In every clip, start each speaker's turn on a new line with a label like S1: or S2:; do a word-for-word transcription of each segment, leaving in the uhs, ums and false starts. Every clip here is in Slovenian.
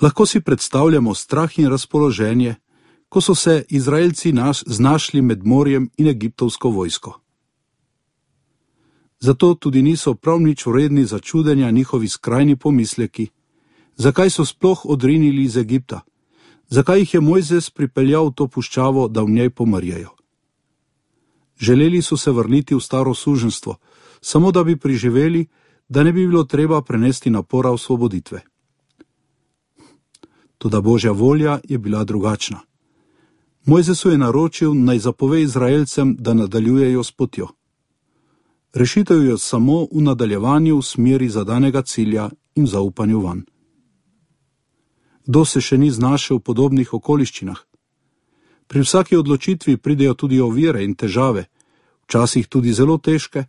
S1: Lahko si predstavljamo strah in razpoloženje, ko so se Izraelci naš, znašli med morjem in egiptovsko vojsko. Zato tudi niso prav nič vredni začudenja njihovi skrajni pomisleki, zakaj so sploh odrinili iz Egipta, zakaj jih je Mojzes pripeljal v to puščavo, da v njej pomrjajo. Želeli so se vrniti v staro suženjstvo, samo da bi priživeli, da ne bi bilo treba prenesti napora osvoboditve. Toda Božja volja je bila drugačna. Mojzesu je naročil, naj zapove Izraelcem, da nadaljujejo s potjo. Rešitev je samo v nadaljevanju v smeri zadanega cilja in zaupanju vanj. Kdo se še ni znašel v podobnih okoliščinah? Pri vsaki odločitvi pridejo tudi ovire in težave, včasih tudi zelo težke,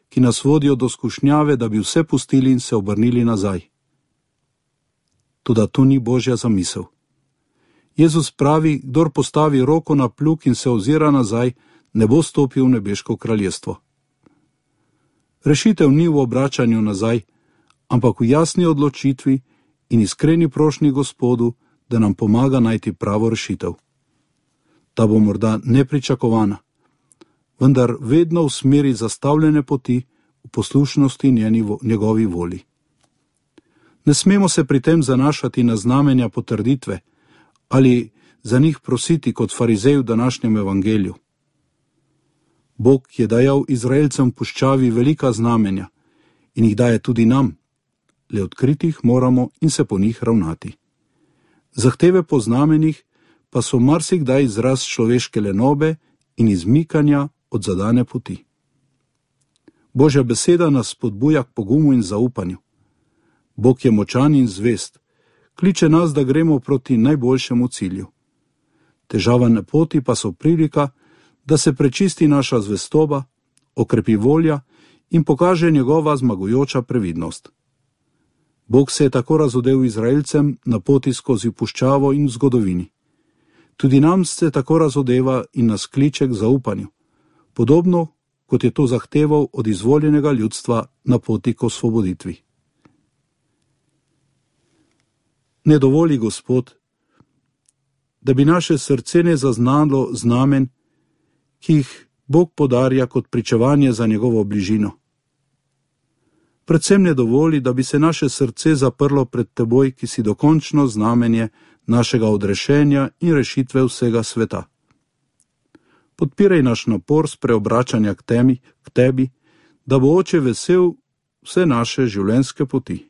S1: ki nas vodijo do skušnjave, da bi vse pustili in se obrnili nazaj. Toda to ni Božja zamisel. Jezus pravi, kdor postavi roko na plug in se ozira nazaj, ne bo stopil v nebeško kraljestvo. Rešitev ni v obračanju nazaj, ampak v jasni odločitvi in iskreni prošnji Gospodu, da nam pomaga najti pravo rešitev. Ta bo morda nepričakovana, vendar vedno v smeri zastavljene poti, v poslušnosti njeni, njegovi volji. Ne smemo se pri tem zanašati na znamenja potrditve ali za njih prositi kot farizej v današnjem evangeliju. Bog je dajal Izraelcem v puščavi velika znamenja in jih daje tudi nam, le odkriti jih moramo in se po njih ravnati. Zahteve po znamenjih pa so marsikdaj izraz človeške lenobe in izmikanja od zadane poti. Božja beseda nas spodbuja k pogumu in zaupanju. Bog je močan in zvest, kliče nas, da gremo proti najboljšemu cilju. Težava na poti pa so prilika, da se prečisti naša zvestoba, okrepi volja in pokaže njegova zmagujoča previdnost. Bog se je tako razodel Izraelcem na poti skozi puščavo in v zgodovini. Tudi nam se tako razodeva in nas kliče k zaupanju, podobno kot je to zahteval od izvoljenega ljudstva na poti k osvoboditvi. Ne dovoli, Gospod, da bi naše srce ne zaznalo znamen, ki jih Bog podarja kot pričevanje za njegovo bližino. Predvsem ne dovoli, da bi se naše srce zaprlo pred teboj, ki si dokončno znamenje našega odrešenja in rešitve vsega sveta. Podpiraj naš napor s preobračanja k temi, k tebi, da bo Oče vesel vse naše življenjske poti.